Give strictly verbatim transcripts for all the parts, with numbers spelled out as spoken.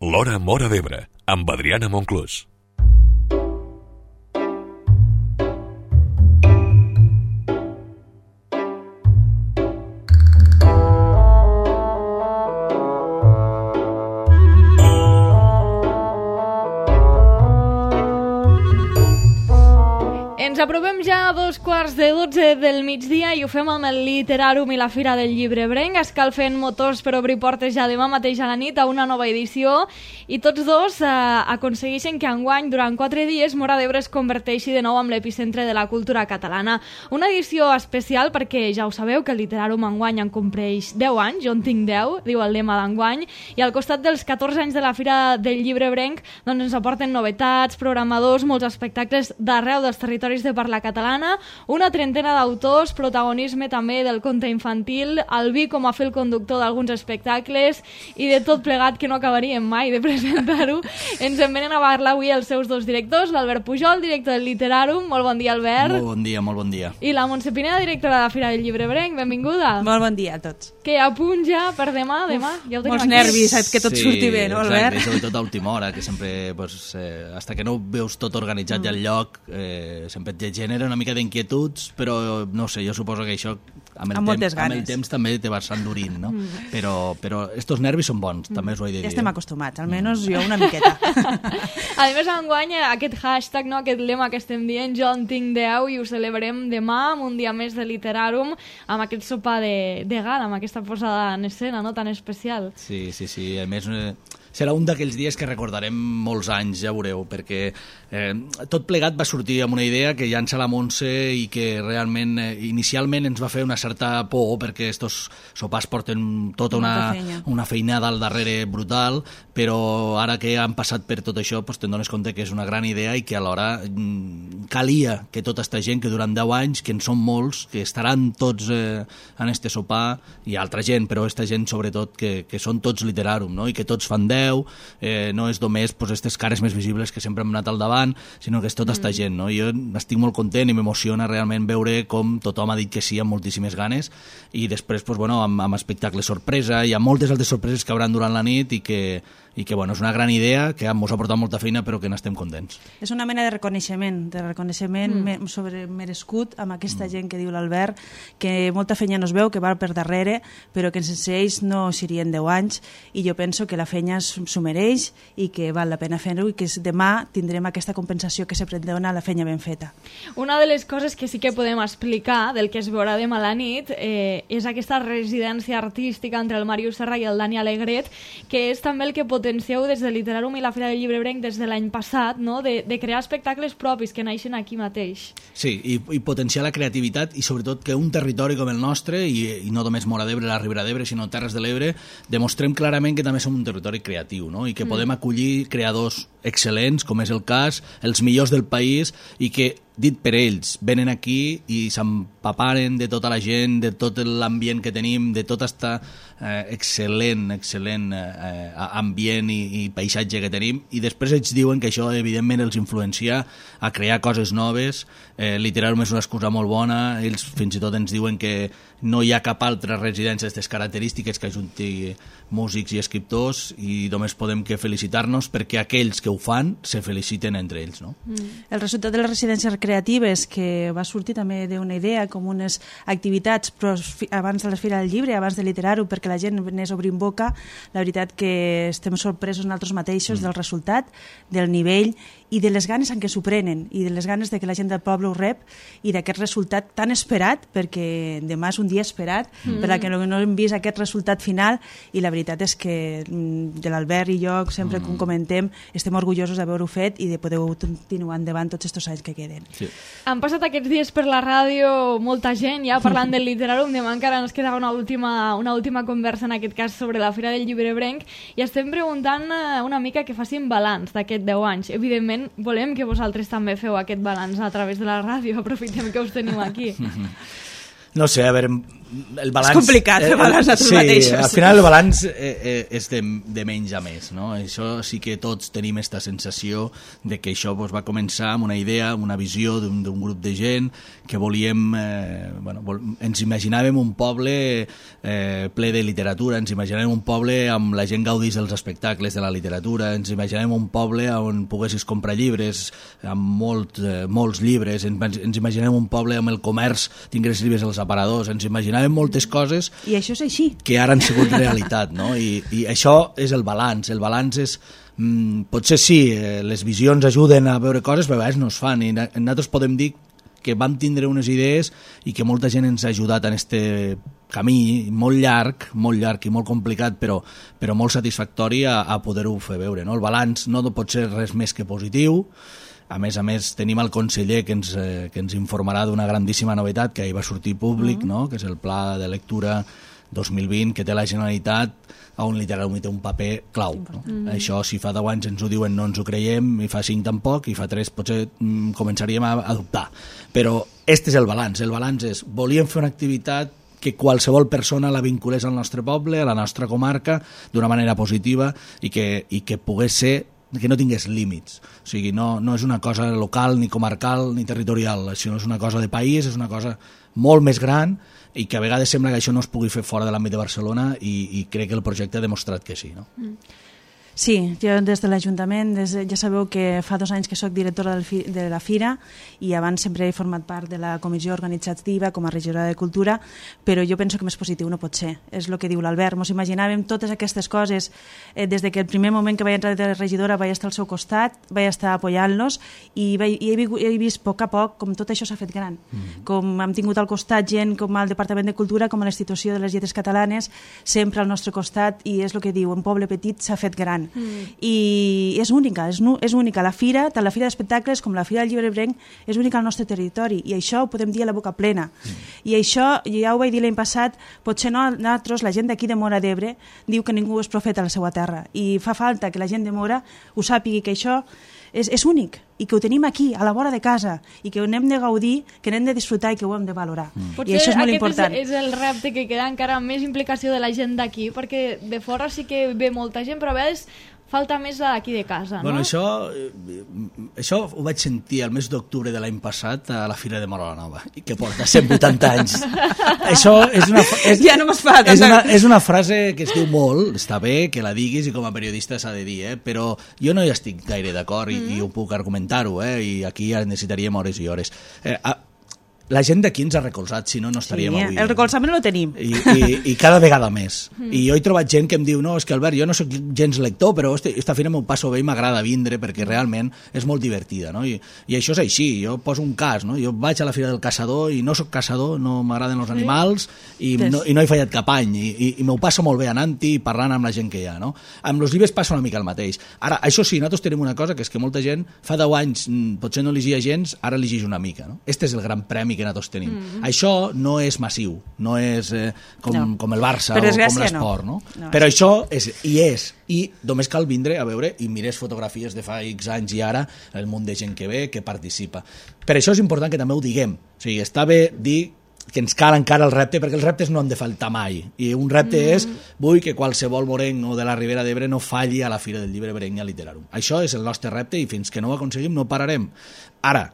L'Hora Móra d'Ebre, amb Adriana Monclús. Ens aprovem ja a dos quarts de dotze del migdia i ho fem amb el Literàrum i la Fira del Llibre Ebrenc, escalfent motors per obrir portes ja demà mateix a la nit a una nova edició, i tots dos eh, aconsegueixen que enguany, durant quatre dies, Móra d'Ebre es converteixi de nou en l'epicentre de la cultura catalana. Una edició especial perquè ja ho sabeu que el Literàrum enguany en compleix deu anys, jo en tinc deu, diu el lema d'enguany, i al costat dels catorze anys de la Fira del Llibre Ebrenc doncs ens aporten novetats, programadors, molts espectacles d'arreu dels territoris de parla catalana, una trentena d'autors, protagonisme també del conte infantil, el vi com a fil conductor d'alguns espectacles i de tot plegat que no acabaríem mai de presentar-ho. Ens en venen a parlar avui els seus dos directors, l'Albert Pujol, director del Literàrum. Molt bon dia, Albert. Molt bon dia, molt bon dia. I la Montse Pineda, directora de la Fira del Llibre Ebrenc. Benvinguda. Molt bon dia a tots. Que a punt ja per demà, demà. Uf, ja ho tenim molts aquí. nervis, saps que tot sí, surti bé, no, Albert? Exacte, sobretot a última hora, que sempre, pues, eh, hasta que no veus tot organitzat mm. ja al lloc, eh, sempre et genera una mica d'inquietuds, però no sé, jo suposo que això amb el, amb temps, amb el ganes. temps també te vas endurint, no? Mm. Però, però estos nervis són bons, mm. també us ho he de dir. Ja estem acostumats, almenys jo una miqueta. A més, enguany, aquest hashtag, no, aquest lema que estem dient, jo en tinc deu, i ho celebrem demà, amb un dia més de Literàrum, amb aquest sopar de, de gala, amb aquesta posada en escena, no?, tan especial. Sí, sí, sí. A més, eh, serà un d'aquells dies que recordarem molts anys, ja veureu, perquè eh, tot plegat va sortir amb una idea que llança la Montse i que realment, eh, inicialment ens va fer una certa por, perquè estos sopars porten tota una, una feinada al darrere brutal, però ara que han passat per tot això, pues, te'n dones compte que és una gran idea i que alhora mm, calia que tota esta gent que durant deu anys, que en són molts, que estaran tots eh, en este sopar, i altra gent, però esta gent sobretot, que, que són tots Literàrum, no? I que tots fan deu, eh, no és només pues, aquestes cares més visibles que sempre hem anat al davant, sinó que és tota esta mm. gent, no? Jo estic molt content i m'emociona realment veure com tothom ha dit que sí amb moltíssimes ganes, i després pues, bueno, amb, amb espectacles sorpresa, hi ha moltes altres sorpreses que hauran durant la nit i que, i que bueno, és una gran idea que ens ha portat molta feina però que n'estem contents. És una mena de reconeixement, de reconeixement mm. sobre merescut amb aquesta mm. gent que diu l'Albert, que molta feina no es veu, que va per darrere, però que sense ells no serien deu anys, i jo penso que la feina s'ho mereix i que val la pena fer-ho, i que demà tindrem aquesta compensació que sempre dona la feina ben feta. Una de les coses que sí que podem explicar del que es veurà demà a la nit eh, és aquesta residència artística entre el Màrius Serra i el Dani Alegret, que és també el que potencieu des de Literàrum i la Fira del Llibre Ebrenc des de l'any passat, no? de, de crear espectacles propis que naixen aquí mateix. Sí, i, i potenciar la creativitat, i sobretot que un territori com el nostre, i, i no només Móra d'Ebre, la Ribera d'Ebre, sinó Terres de l'Ebre, demostrem clarament que també som un territori creatiu, no? I que mm. podem acollir creadors excel·lents, com és el cas, els millors del país, i que, dit per ells, venen aquí i s'empaparen de tota la gent, de tot l'ambient que tenim, de tot este eh, excel·lent, excel·lent eh, ambient i, i paisatge que tenim, i després ells diuen que això evidentment els influencia a crear coses noves. eh, Literàrum és una excusa molt bona, ells fins i tot ens diuen que no hi ha cap altra residència d'aquestes característiques que ajunti músics i escriptors, i només podem que felicitar-nos perquè aquells que ho fan se feliciten entre ells, no? Mm. El resultat de les residències creatives, que va sortir també d'una idea com unes activitats però abans de la Fira del Llibre, abans de Literàrum, perquè la gent anés obrint boca, la veritat que estem sorpresos nosaltres mateixos mm. del resultat, del nivell i de les ganes en què s'ho prenen, i de les ganes de que la gent del poble ho rep, i d'aquest resultat tan esperat, perquè demà és un dia esperat, mm. per a que no, no hem vist aquest resultat final, i la veritat és que de l'Albert i jo, sempre mm. com comentem, estem orgullosos d'haver-ho fet i de poder continuar endavant tots aquests anys que queden. Sí. Han passat aquests dies per la ràdio molta gent ja parlant del Literàrum, demà encara ens queda una última, una última conversa, en aquest cas sobre la Fira del Llibre Ebrenc, i estem preguntant una mica que facin balanç d'aquest deu anys. Evidentment, volem que vosaltres també feu aquest balanç a través de la ràdio, aprofitem que us tenim aquí. No sé, a veure, el balanç... És complicat fer balanç a tu sí, mateixos. Al final el balanç eh, eh, és de, de menys a més, no? Això sí que tots tenim aquesta sensació de que això pues, va començar amb una idea, una visió d'un grup de gent que volíem... Eh, bueno, vol, ens imaginàvem un poble eh, ple de literatura, ens imaginàvem un poble amb la gent gaudís dels espectacles de la literatura, ens imaginàvem un poble on poguessis comprar llibres, amb molt, eh, molts llibres, ens, ens imaginem un poble amb el comerç, tingués llibres als aparadors, ens imaginàvem moltes coses i això és així, que ara han sigut realitat, no? I, i això és el balanç, el balanç és mm, potser sí, eh, les visions ajuden a veure coses, però a vegades no es fan, i nosaltres podem dir que vam tindre unes idees i que molta gent ens ha ajudat en este camí molt llarg, molt llarg i molt complicat, però, però molt satisfactori a, a poder-ho fer veure, no? El balanç no pot ser res més que positiu. A més a més, tenim el conseller que ens, eh, que ens informarà d'una grandíssima novetat que ahir va sortir públic, mm. no? Que és el Pla de Lectura dos mil vint que té la Generalitat, on literalment té un paper clau. No? Mm. Això, si fa deu anys ens ho diuen, no ens ho creiem, i fa cinc tampoc, i fa tres potser mm, començaríem a, a dubtar. Però este és el balanç. El balanç és, volíem fer una activitat que qualsevol persona la vinculés al nostre poble, a la nostra comarca, d'una manera positiva i que, i que pogués ser que no tingués límits. O sigui, no, no és una cosa local, ni comarcal, ni territorial, sinó és una cosa de país, és una cosa molt més gran i que a vegades sembla que això no es pugui fer fora de l'àmbit de Barcelona i, i crec que el projecte ha demostrat que sí. No? Mm. Sí, jo des de l'Ajuntament, ja sabeu que fa dos anys que sóc directora de la Fira i abans sempre he format part de la comissió organitzativa com a regidora de Cultura, però jo penso que més positiu no pot ser. És el que diu l'Albert, mos imaginàvem totes aquestes coses eh, des de que el primer moment que vaig entrar de regidora vaig estar al seu costat, vaig estar apoyant-los i, vaig, i he, he vist a poc a poc com tot això s'ha fet gran. Mm. Com hem tingut al costat gent com al Departament de Cultura, com a l'Institució de les Lletres Catalanes, sempre al nostre costat, i és el que diu, un poble petit s'ha fet gran. Mm. I és única, és, és única la fira, tant la fira d'espectacles com la fira del Llibre Brenc és única al nostre territori i això ho podem dir a la boca plena. Mm. I això, ja ho vaig dir l'any passat, potser no, nosaltres, la gent d'aquí de Móra d'Ebre diu que ningú és profeta a la seva terra i fa falta que la gent de Móra ho sàpigui, que això és, és únic i que ho tenim aquí, a la vora de casa, i que ho hem de gaudir, que n'hem de disfrutar i que ho hem de valorar. Mm. Potser I això és molt important. És, és el repte que queda encara més implicació de la gent d'aquí, perquè de fora sí que ve molta gent, però a vegades falta més d'aquí de casa, no? Bueno, això, això ho vaig sentir el mes d'octubre de l'any passat a la Fira de Móra la Nova, que porta cent vuitanta anys. Això és una, és, ja no mos fa, és, una, és una frase que es diu molt, està bé que la diguis i com a periodista s'ha de dir, eh? Però jo no hi estic gaire d'acord i, mm. i ho puc argumentar-ho, eh? I aquí ja necessitaríem hores i hores. Eh, a, la gent d'aquí ens ha recolzat, si no, no estaríem sí, avui. El recolzament lo tenim. I, i, i cada vegada més. Mm. I jo he trobat gent que em diu, no, és que Albert, jo no soc gens lector, però hosti, esta fira m'ho passo bé i m'agrada vindre perquè realment és molt divertida, no? I, I això és així, jo poso un cas, no? Jo vaig a la Fira del Caçador i no soc caçador, no m'agraden els animals i, sí. no, i no he fallat cap any i, i, i m'ho passo molt bé anant-hi i parlant amb la gent que hi ha, no? Amb els llibres passa una mica el mateix. Ara, això sí, nosaltres tenim una cosa, que és que molta gent fa deu anys potser no llegia gens, ara llegeix una mica, no? Este és el gran premi que nosaltres tenim. Mm. Això no és massiu, no és eh, com, no. com el Barça o com l'esport, no? no? no? Però això és, i és, i només cal vindre a veure i mires fotografies de fa X anys i ara el munt de gent que ve, que participa. Per això és important que també ho diguem, o sigui, està bé dir que ens cal encara el repte, perquè els reptes no han de faltar mai, i un repte mm. és vull que qualsevol morenc o de la Ribera d'Ebre no falli a la Fira del Llibre Brenc i a Literàrum. Això és el nostre repte i fins que no ho aconseguim no pararem. Ara,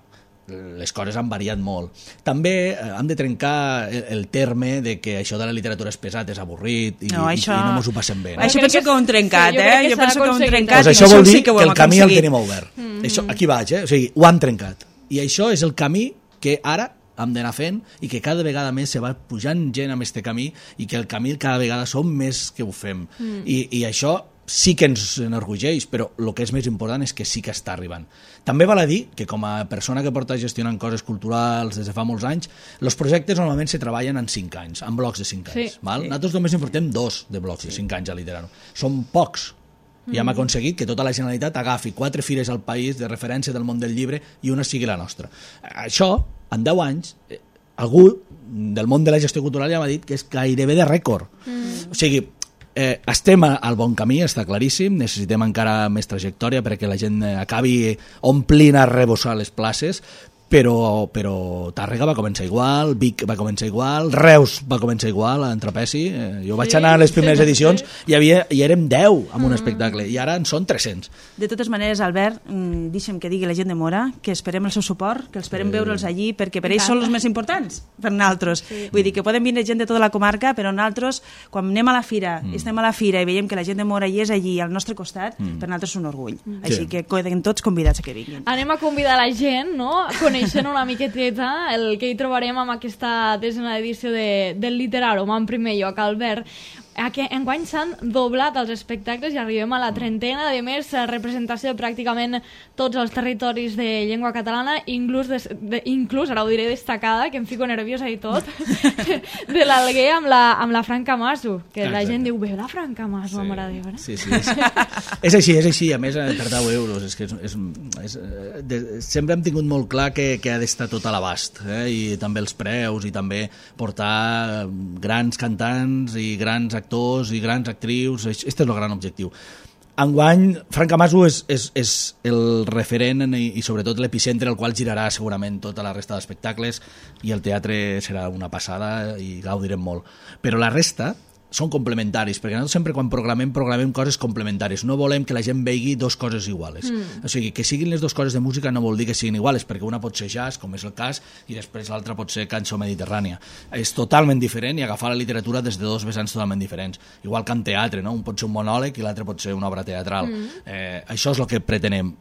les coses han variat molt. També eh, hem de trencar el, el terme de que això de la literatura és pesat, és avorrit i no, això... i, i no ens ho passem bé. No? Això penso que ho hem trencat, sí, eh? Jo penso que ho hem trencat. Pues això vol dir sí que, que el camí el tenim obert. Mm -hmm. Això, aquí vaig, eh? O sigui, ho han trencat. I això és el camí que ara hem d'anar fent i que cada vegada més se va pujant gent amb este camí i que el camí cada vegada som més que ho fem. Mm. I, I això sí que ens enorgulleix, però el que és més important és que sí que està arribant. També val a dir que com a persona que porta gestionant coses culturals des de fa molts anys, els projectes normalment se treballen en cinc anys, en blocs de cinc anys. Sí, val? Sí. Nosaltres només en portem dos de blocs sí. de cinc anys a Literàrum. Són pocs. I hem aconseguit que tota la Generalitat agafi quatre fires al país de referència del món del llibre i una sigui la nostra. Això, en deu anys, algú del món de la gestió cultural ja m'ha dit que és gairebé de rècord. Mm. O sigui, eh, estem al bon camí, està claríssim, necessitem encara més trajectòria perquè la gent acabi omplint a rebossar les places, però, però Tàrrega va començar igual, Vic va començar igual, Reus va començar igual, en Trapezi. Eh, jo vaig sí, anar a les primeres sí, edicions sí. i, havia, i érem deu en un mm. espectacle, i ara en són tres-cents. De totes maneres, Albert, mm, deixa'm que digui la gent de Móra que esperem el seu suport, que esperem sí. veure'ls allí, perquè per ells són els més importants, per nosaltres. Sí. Vull dir que poden vindre gent de tota la comarca, però nosaltres, quan anem a la fira, mm. estem a la fira i veiem que la gent de Móra hi és allí al nostre costat, mm. per nosaltres és un orgull. Mm. Així sí. que queden tots convidats a que vinguin. Anem a convidar la gent, no?, coneixent una miqueteta el que hi trobarem amb aquesta desena edició de, del Literàrum. En primer lloc, Albert, que enguany s'han doblat els espectacles i arribem a la trentena, a més representació de pràcticament tots els territoris de llengua catalana, inclús, de, de, inclús ara ho diré destacada, que em fico nerviosa i tot, de l'Alguer amb la, amb la Fran Camasso, que exacte. La gent diu, veu la Fran Camasso, sí. Mare de Déu. Sí, sí, és, és així, és així, a més per deu euros, és que és, és, és, de, sempre hem tingut molt clar que, que ha d'estar tot a l'abast, eh? I també els preus, i també portar grans cantants i grans actors actors i grans actrius, aquest és el gran objectiu. Enguany, Fran Camasso és, és, és el referent i, i sobretot l'epicentre al qual girarà segurament tota la resta d'espectacles, i el teatre serà una passada i gaudirem molt. Però la resta són complementaris, perquè nosaltres sempre quan programem, programem coses complementàries. No volem que la gent vegi dos coses iguales. Mm. O sigui, que siguin les dues coses de música no vol dir que siguin iguales, perquè una pot ser jazz, com és el cas, i després l'altra pot ser cançó mediterrània. És totalment diferent i agafar la literatura des de dos vessants totalment diferents. Igual que en teatre, no? Un pot ser un monòleg i l'altre pot ser una obra teatral. Mm. Eh, això és el que pretenem.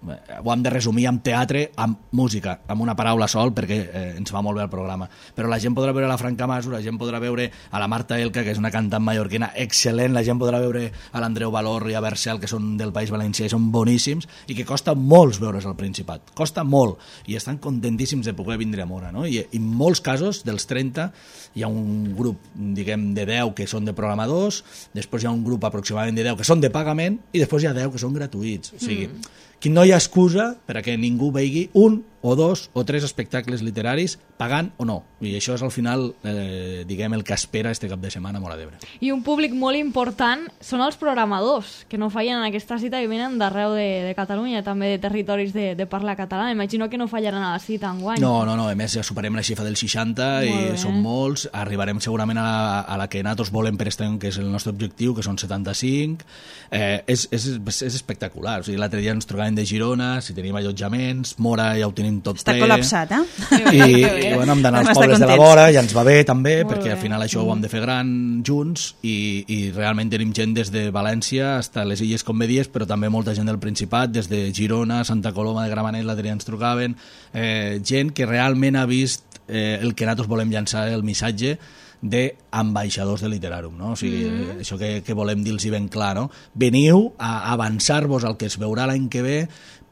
Ho hem de resumir amb teatre, amb música, amb una paraula sol, perquè eh, ens va molt bé el programa. Però la gent podrà veure la Fran Camasso, la gent podrà veure a la Marta Elka, que és una cantant mallorquina excel·lent, la gent podrà veure a l'Andreu Valor i a Bercel, que són del País Valencià i són boníssims, i que costa molts veure's al Principat, costa molt, i estan contentíssims de poder vindre a Móra, no? I en molts casos, dels trenta, hi ha un grup, diguem, de deu que són de programadors, després hi ha un grup aproximadament de deu que són de pagament, i després hi ha deu que són gratuïts. O sigui, mm. que no hi ha excusa per a que ningú vegi un o dos o tres espectacles literaris pagant o no. I això és al final, eh, diguem, el que espera este cap de setmana a Móra d'Ebre. I un públic molt important són els programadors, que no fallen en aquesta cita i venen d'arreu de, de Catalunya, també de territoris de, de parla catalana. Imagino que no fallaran a la cita enguany. No, no, no. A més, ja superem la xifra del seixanta i són molts. Arribarem segurament a la, a la que nosaltres volem per este any, que és el nostre objectiu, que són setanta-cinc. Eh, és, és, és espectacular. O sigui, l'altre dia ens trobàvem de Girona, si tenim allotjaments, Móra ja ho tenim tot està ple. Està col·lapsat, eh? I, i bueno, hem d'anar als pobles de la vora, i ens va bé també, molt perquè bé. Al final això mm. ho hem de fer gran junts, i, i realment tenim gent des de València fins a les Illes Comedies, però també molta gent del Principat, des de Girona, Santa Coloma de Gramenet, l'altre dia ens trucaven, eh, gent que realment ha vist eh, el que nosaltres volem llançar, el missatge d'ambaixadors del Literàrum, no? O sigui, mm. això que, que volem dir-los ben clar, no? Veniu a avançar-vos al que es veurà l'any que ve,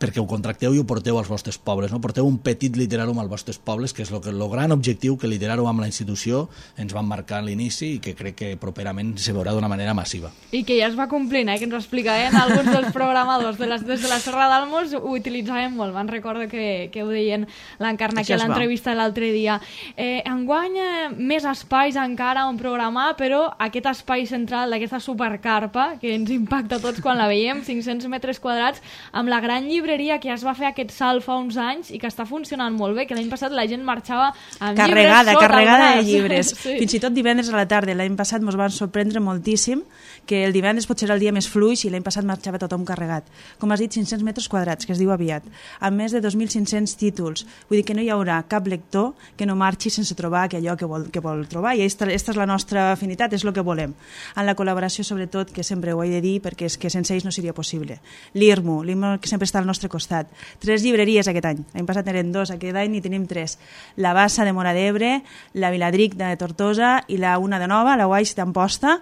perquè ho contracteu i ho porteu als vostres pobles, no? Porteu un petit Literàrum als vostres pobles, que és el que, el gran objectiu que Literàrum amb la institució ens van marcar a l'inici i que crec que properament se veurà d'una manera massiva. I que ja es va complint, eh? Que ens ho explicaven alguns dels programadors de les, des de la Serra d'Almos, ho utilitzaven molt, van recordo que, que ho deien l'Encarna que a l'entrevista l'altre dia. Eh, enguany eh, més espais encara on programar, però aquest espai central d'aquesta supercarpa, que ens impacta tots quan la veiem, cinc-cents metres quadrats, amb la gran llibreria que ja es va fer aquest salt fa uns anys i que està funcionant molt bé, que l'any passat la gent marxava amb carregada, llibres carregada de llibres. Sí. Fins i tot divendres a la tarda, l'any passat ens van sorprendre moltíssim, que el divendres potser era el dia més fluix i l'any passat marxava tothom carregat. Com has dit, cinc-cents metres quadrats, que es diu aviat, amb més de dos mil cinc-cents títols. Vull dir que no hi haurà cap lector que no marxi sense trobar allò que vol, que vol trobar, i aquesta, aquesta és la nostra afinitat, és el que volem. En la col·laboració, sobretot, que sempre ho he de dir, perquè és que sense ells no seria possible. L'I R M U, l'I R M U que sempre està al nostre costat. Tres llibreries aquest any. L'any passat eren dos, aquest any n'hi tenim tres. La Bassa de Móra d'Ebre, la Viladric de Tortosa i la una de Nova, la Guaix d'Amposta,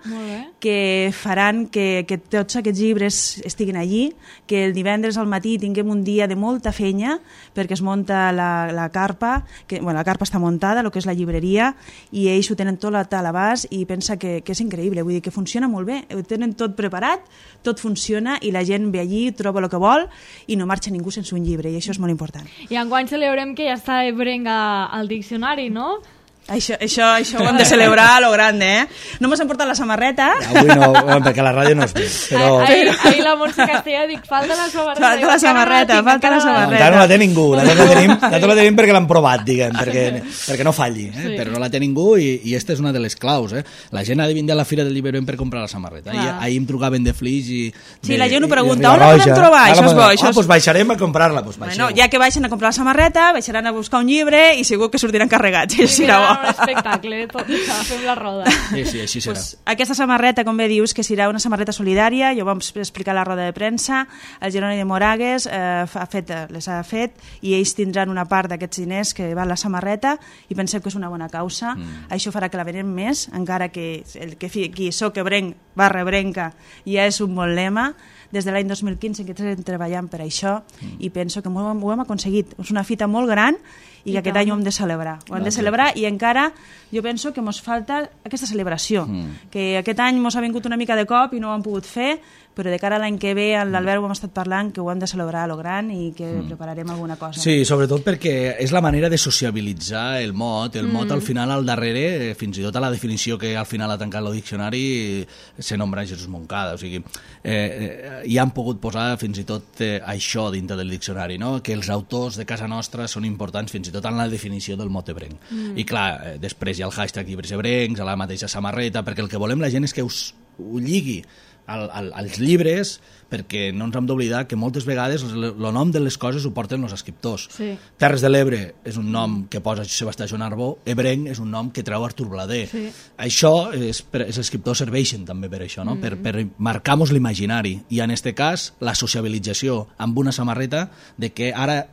que faran que, que tots aquests llibres estiguin allí, que el divendres al matí tinguem un dia de molta fenya, perquè es munta la, la carpa, que, bueno, la carpa està muntada, el que és la llibreria, i ells ho tenen tot a l'abast i pensa que, que és increïble, vull dir que funciona molt bé, ho tenen tot preparat, tot funciona i la gent ve allí, troba el que vol i no marxa ningú sense un llibre, i això és molt important. I enguany celebrem que ja està Ebrenga al diccionari, no? Això, això, això ho hem de celebrar a lo grande, eh? No m'has emportat la samarreta. Avui no, perquè la ràdio no es ve. Però... Ahir, ahir la Montse Castella dic, falta la samarreta. Falta la samarreta, falta la samarreta. Encara no la té ningú, la tenim, la tenim perquè l'han provat, diguem, perquè, perquè no falli, eh? Sí. Però no la té ningú i, i esta és una de les claus, eh? La gent ha de vindre a la Fira del Llibre per comprar la samarreta. I ahir em trucaven de Flix i... Sí, la gent ho pregunta, on la podem trobar? Això és bo. Ah, doncs baixarem a comprar-la. Bueno, ja que baixen a comprar la samarreta, baixaran a buscar un llibre i segur que sortiran carregats. Sí, serà un espectacle, tot, fem la roda. Sí, sí, així serà. Pues, aquesta samarreta, com bé dius, que serà una samarreta solidària, jo ho vam explicar a la roda de premsa, el Jeroni de Moragues eh, ha fet, les ha fet i ells tindran una part d'aquests diners que va a la samarreta i pensem que és una bona causa. Mm. Això farà que la venem més, encara que el que qui soc ebrenc barra ebrenca ja és un bon lema. Des de l'any dos mil quinze que estem treballant per això mm. i penso que ho hem, ho hem aconseguit. És una fita molt gran i que I aquest tant. any ho hem de celebrar. Ho hem de celebrar i encara jo penso que ens falta aquesta celebració, mm. que aquest any ens ha vingut una mica de cop i no ho hem pogut fer, però de cara a l'any que ve amb l'Albert ho hem estat parlant que ho hem de celebrar a lo gran i que mm. prepararem alguna cosa. Sí, sobretot perquè és la manera de sociabilitzar el mot. El mm. mot al final, al darrere, fins i tot a la definició que al final ha tancat el diccionari, se nombra Jesús Moncada. O sigui, eh, hi han pogut posar fins i tot eh, això dintre del diccionari, no? Que els autors de casa nostra són importants fins i tot en la definició del mot ebrenc. Mm. I clar, eh, després hi ha el hashtag llibres ebrencs, a la mateixa samarreta, perquè el que volem la gent és que us, ho lligui al, al, als llibres, perquè no ens hem d'oblidar que moltes vegades el nom de les coses ho porten els escriptors. Sí. Terres de l'Ebre és un nom que posa Sebastià Joan Arbó, ebrenc és un nom que treu Artur Blader. Sí. Això, és, els escriptors serveixen també per això, no? Mm. per, per marcar-nos l'imaginari. I en aquest cas, la sociabilització amb una samarreta de que ara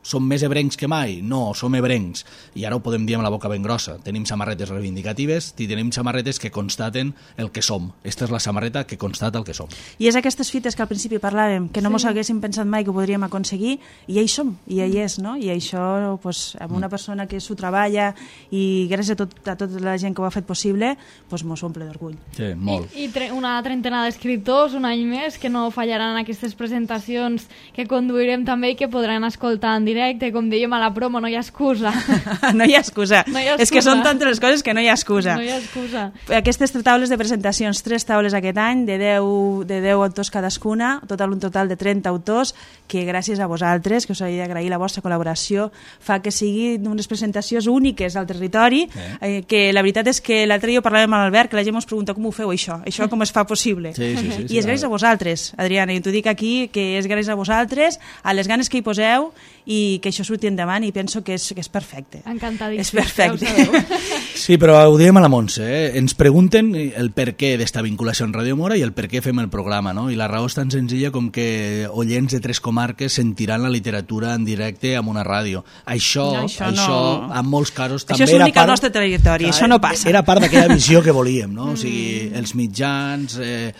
som més ebrencs que mai? No, som ebrencs. I ara ho podem dir amb la boca ben grossa. Tenim samarretes reivindicatives i tenim samarretes que constaten el que som. Esta és la samarreta que constata el que som. I és aquestes fites que al principi parlàvem, que no sí. mos haguéssim pensat mai que ho podríem aconseguir, i ja hi som, i ja hi és, no? I això, pues, amb una persona que s'ho treballa i gràcies a, tot, a tota la gent que ho ha fet possible, pues, mos omple d'orgull. Sí, molt. I, i tre una trentena d'escriptors, un any més, que no fallaran aquestes presentacions que conduirem també i que podran escoltar en directe directe, com dèiem a la promo, no hi ha excusa. no hi ha excusa. No hi ha excusa. És que són tantes les coses que no hi ha excusa. No hi ha excusa. Aquestes taules de presentacions, tres taules aquest any, de deu, de deu autors cadascuna, total un total de trenta autors, que gràcies a vosaltres, que us he d'agrair la vostra col·laboració, fa que siguin unes presentacions úniques al territori, eh. Eh, que la veritat és que l'altre dia parlàvem amb l'Albert, que la gent ens pregunta com ho feu això, això com es fa possible. Sí, sí, sí, I és gràcies a vosaltres, Adriana, i t'ho dic aquí, que és gràcies a vosaltres, a les ganes que hi poseu, i que això surti endavant, i penso que és, que és perfecte. Encantadíssim. És perfecte. Sí, però ho diem a la Montse, eh? Ens pregunten el per què d'esta vinculació amb Ràdio Mora i el per què fem el programa, no? I la raó és tan senzilla com que oients de tres comarques sentiran la literatura en directe amb una ràdio. Això, no, això, això no. en molts casos també era part... Això és únic al nostre territori, clar, això no passa. Era part d'aquella visió que volíem, no? O sigui, els mitjans, eh,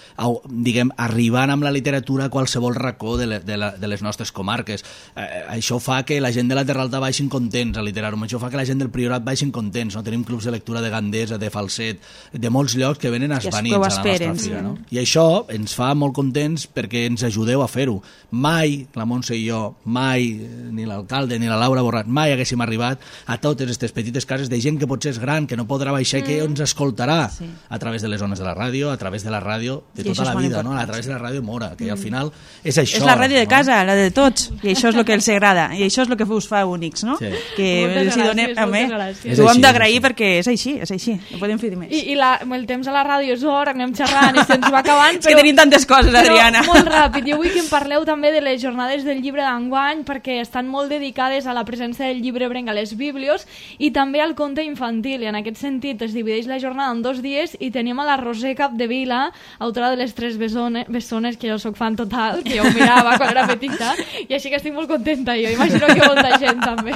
diguem, arribant amb la literatura a qualsevol racó de, le, de, la, de les nostres comarques. Eh, això fa que la gent de la Terra Alta baixin contents a Literàrum, això fa que la gent del Priorat baixin contents, no? Tenim clubs de lectura de Gandesa, de Falset, de molts llocs que venen esvanits a la nostra fira, no? I això ens fa molt contents perquè ens ajudeu a fer-ho. Mai, la Montse i jo, mai, ni l'alcalde ni la Laura Borrat, mai haguéssim arribat a totes aquestes petites cases de gent que potser és gran, que no podrà baixar i que ens escoltarà sí. a través de les zones de la ràdio, a través de la ràdio de tota la vida, no? A través de la ràdio Mora, que al final és això. És la ràdio de no? casa, la de tots, i això és el que els agrada, i això és el que us fa únics, no? Sí. Que moltes els hi donem, gràcies, home, gràcies. ho hem d'agrair perquè és així, és així, no podem fer més. I, i la, el temps a la ràdio és hora, anem xerrant i se'ns va acabant. És que tenim tantes coses, Adriana. Però molt ràpid, jo vull que em parleu també de les jornades del llibre d'enguany, perquè estan molt dedicades a la presència del llibre ebrenc a les bíblios i també al conte infantil, i en aquest sentit es divideix la jornada en dos dies i tenim a la Roser Capdevila, autora de Les Tres Bessones, bessones que jo soc fan total, que jo ho mirava quan era petita, i així que estic molt contenta jo, imagino que molta gent també.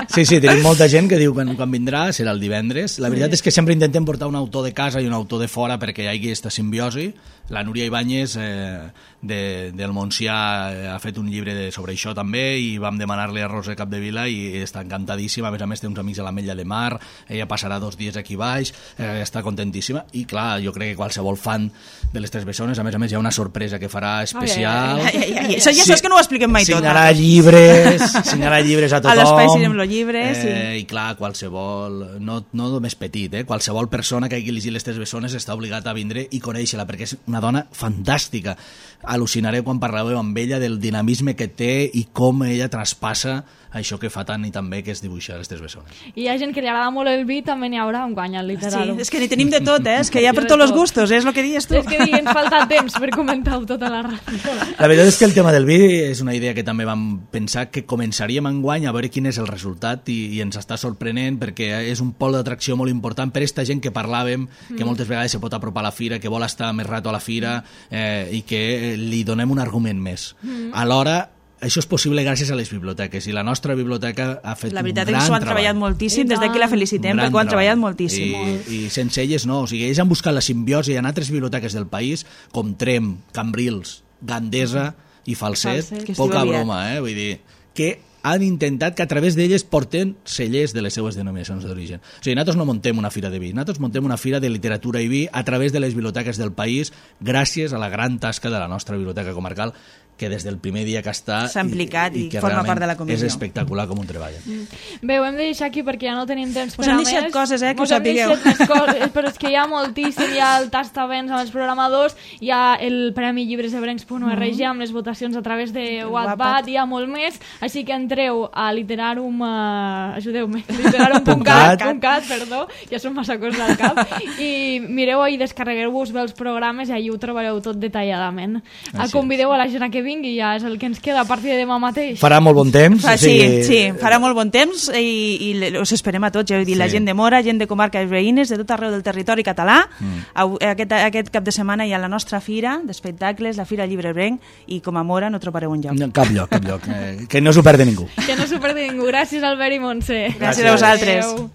Sí, sí, tenim molta gent que diu que quan vindrà serà el divendres. La veritat sí. és que sempre intentem portar un autor de casa i un autor de fora perquè hi hagi aquesta simbiosi. La Núria Ibáñez eh, de, del Montsià eh, ha fet un llibre de, sobre això també i vam demanar-li a Roser Capdevila i està encantadíssima. A més a més té uns amics a l'Ametlla de Mar, ella passarà dos dies aquí baix, eh, està contentíssima i clar, jo crec que qualsevol fan de Les Tres Bessones, a més a més hi ha una sorpresa que farà especial. Ai, ai, ai, ai. Això ja saps que no ho expliquem mai tot. Signarà llibres, llibres, assenyalar llibres a tothom. A l'espai Cirem los llibres, eh, sí. I clar, qualsevol, no, no només petit, eh, qualsevol persona que hagi llegit les Tres Bessones està obligat a vindre i conèixer-la, perquè és una dona fantàstica. Al·lucinareu quan parlàveu amb ella del dinamisme que té i com ella traspassa això que fa tant i tan bé, que és dibuixar les Tres Bessones. I hi ha gent que li agrada molt el vi, també n'hi haurà un guany al literal. Sí, és que n'hi tenim de tot, eh? És que hi ha per tots els gustos, és el que dius tu. És que ens falta temps per comentar-ho tota la ràdio. La veritat és que el tema del vi és una idea que també vam pensar que començaríem enguany a veure quin és el resultat i, i ens està sorprenent perquè és un pol d'atracció molt important per aquesta gent que parlàvem, que moltes vegades se pot apropar a la fira, que vol estar més rato a la fira eh, i que li donem un argument més. Mm. Alhora, això és possible gràcies a les biblioteques i la nostra biblioteca ha fet un gran treball. La veritat és que s'ho han treballat moltíssim, des d'aquí la felicitem perquè ho han treballat moltíssim. I, I sense elles no, o sigui, ells han buscat la simbiosi en altres biblioteques del país com Trem, Cambrils, Gandesa i Falset, Falset. poca broma, eh? Vull dir, que han intentat que a través d'elles porten cellers de les seues denominacions d'origen. O sigui, nosaltres no montem una fira de vi, nosaltres montem una fira de literatura i vi a través de les biblioteques del país gràcies a la gran tasca de la nostra biblioteca comarcal que des del primer dia que està s'ha implicat i, i, i que forma part de la comissió. És espectacular com un treball. Mm. Bé, ho hem de deixar aquí perquè ja no tenim temps per Us a han més. deixat coses, eh, que us ho sapigueu. Us hem deixat més coses, però és que hi ha moltíssim, hi ha el tastavents amb els programadors, hi ha el Premi Llibres de Brencs punt org mm. amb les votacions a través de Wattpad, hi ha molt més, així que entreu a literarum, uh, ajudeu-me, literarum punt cat, perdó, ja són massa coses al cap, i mireu i descarregueu-vos bé els programes i allà ho trobareu tot detalladament. A convideu a la gent a que vingui, ja és el que ens queda a partir de demà mateix. Farà molt bon temps. Fa, sí, sí, sí, farà molt bon temps i, i us esperem a tots, ja heu dit, sí. La gent de Mora, gent de comarques veïnes, de tot arreu del territori català. Mm. Aquest, aquest cap de setmana hi ha la nostra fira d'espectacles, la Fira Llibre Brenc, i com a Mora no trobareu un lloc. No, cap lloc, cap lloc. Eh, que no s'ho perdi ningú. Que no s'ho perdi ningú. Gràcies, Albert i Montse. Gràcies, Gràcies a vosaltres. Adeu.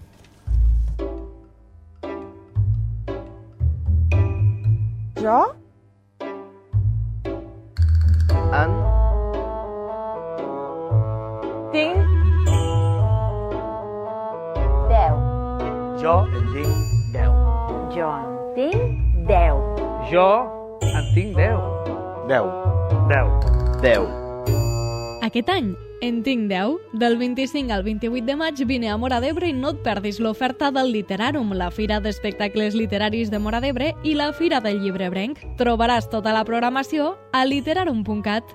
Jo? En... tinc... deu. Jo en tinc deu. Jo en tinc deu. Jo en tinc deu. Deu. Deu. Deu. Aquest any en tinc deu. Del vint-i-cinc al vint-i-vuit de maig vine a Móra d'Ebre i no et perdis l'oferta del Literarum, la fira d'espectacles literaris de Móra d'Ebre i la Fira del Llibre Brenc. Trobaràs tota la programació a literarum punt cat.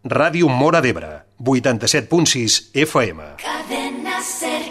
Ràdio Móra d'Ebre, vuitanta-set punt sis F M. Cadena Ser.